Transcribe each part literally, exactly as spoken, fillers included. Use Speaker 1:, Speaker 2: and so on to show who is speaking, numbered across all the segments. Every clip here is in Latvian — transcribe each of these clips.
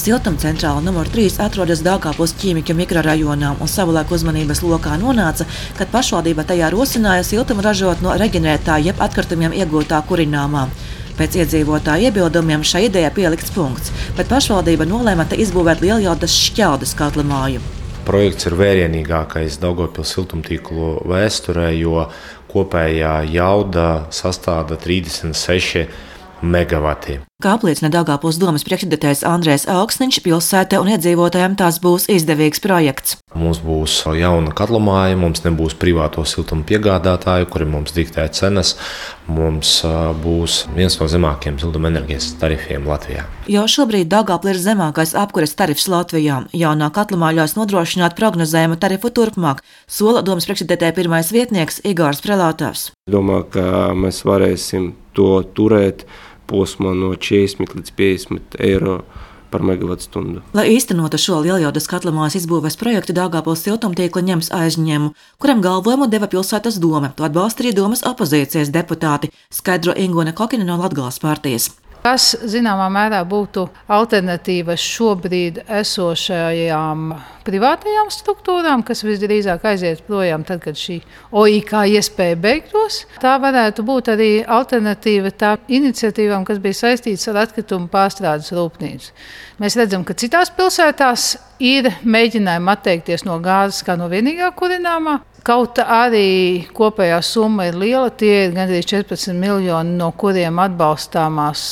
Speaker 1: Siltumcentrāla numur trīs atrodas Daugavpils ķīmiķu mikrorajonā un savulaik uzmanības lokā nonāca, kad pašvaldība tajā rosināja siltumu ražot no reģenerētā jeb atkritumiem iegūtā kurināmā. Pēc iedzīvotāju iebildumiem šai idejai pielikts punkts, bet pašvaldība nolēma te izbūvēt Lieljaudas Šķeldes katlamāju.
Speaker 2: Projekts ir vērienīgākais Daugavpils siltumtīklu vēsturē, jo kopējā jauda sastāda trīsdesmit seši megavati.
Speaker 1: Kā apliecina Daugavpils domes priekšsēdētājs Andrejs Augsniņš, pilsētai un iedzīvotājiem tās būs izdevīgs projekts.
Speaker 2: Mums būs jauna katlamāja, mums nebūs privāto siltumu piegādātāju, kuri mums diktē cenas. Mums būs viens no zemākajiem siltumenerģijas tarifiem Latvijā.
Speaker 1: Jau šobrīd Daugavpilī ir zemākais apkures tarifs Latvijā. Jaunā katlamāja ļaus nodrošināt prognozējumu tarifu turpmāk, sola domes priekšsēdētāja pirmais vietnieks Igors Prelātavs.
Speaker 3: Domāju, ka mēs varēsim to turēt posmā no četrdesmit līdz piecdesmit eiro par megavatstundu.
Speaker 1: Lai īstenotu šo Lieljaudas katlamājas izbūves projektu, Daugavpils siltumtīkli ņems aizņēmumu, kuram galvojumu deva pilsētas dome. To atbalsta arī domes opozīcijas deputāti, skaidro Ingūne Kokina no Latgales partijas.
Speaker 4: Kas, zināmā mērā, būtu alternatīva šobrīd esošajām privātajām struktūrām, kas visdrīzāk aiziet projām tad, kad šī O I K iespēja beigtos. Tā varētu būt arī alternatīva tā iniciatīvām, kas bija saistītas ar atkritumu pārstrādes rūpnīcu. Mēs redzam, ka citās pilsētās ir mēģinājumi atteikties no gāzes kā no vienīgā kurināmā. Kaut arī kopējā summa ir liela, tie ir gandrīz četrpadsmit miljoni, no kuriem atbalstāmās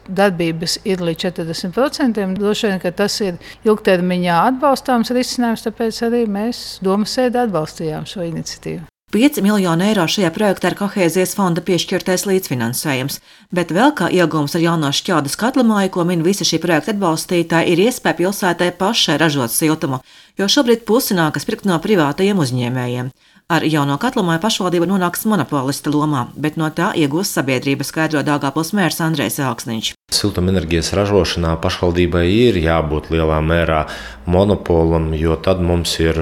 Speaker 4: darbības ir līdz četrdesmit procentiem. Droši vien, ka tas ir ilgtermiņā atbalstāms risinājums, tāpēc arī mēs domas sēdē atbalstījām šo iniciatīvu.
Speaker 1: pieci miljoni eiro šajā projektā ir kohēzijas fonda piešķirtais līdzfinansējums, bet vēl kā iegūms ar jauno Šķeldes katlamāju, ko min visi šī projekta atbalstītāji, ir iespēja pilsētai pašai ražot siltumu, jo šobrīd pusi nākas pirkt no privātajiem uzņēmējiem. Ar jauno katlamāju pašvaldība nonāks monopolista lomā, bet no tā iegūs sabiedrība, skaidro Daugavpils mērs Andrejs Augsniņš.
Speaker 2: Siltumenerģijas ražošanā pašvaldībai ir jābūt lielā mērā monopolam, jo tad mums ir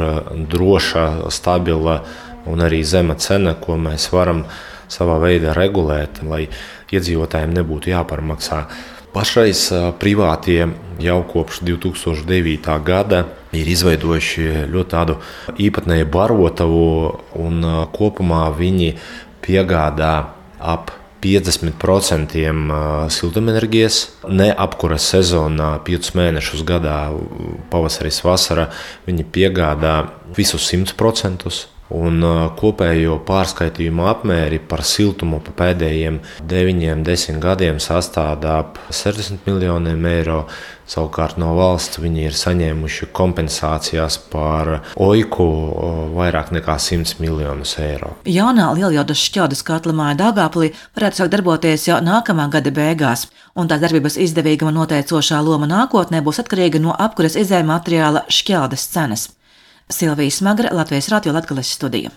Speaker 2: droša, stabila un arī zema cena, ko mēs varam savā veidā regulēt, lai iedzīvotājiem nebūtu jāparmaksā. Pašreiz privātie jau kopš divi tūkstoši devītā gada ir izveidojuši ļoti tādu īpatnēju barotavu, un kopumā viņi piegādā ap piecdesmit procentiem siltumenerģijas, ne apkuras sezonā, piecus mēnešus gadā, pavasaris, vasara, viņi piegādā visus simt procentus. Un kopējo pārskaitījumu apmēri par siltumu pa pēdējiem deviņiem, desmit gadiem sastāda ap sešdesmit miljoniem eiro. Savukārt no valsts viņi ir saņēmuši kompensācijās par O I K vairāk nekā simt miljonus eiro.
Speaker 1: Jaunā Lieljaudas Šķeldes katlamāja Daugavpilī varētu sākt darboties jau nākamā gada beigās, un tā darbības izdevīguma noteicošā loma nākotnē būs atkarīga no apkuras izējuma materiāla Šķeldes cenas. Silvija Smagra, Latvijas radio Latgales studija.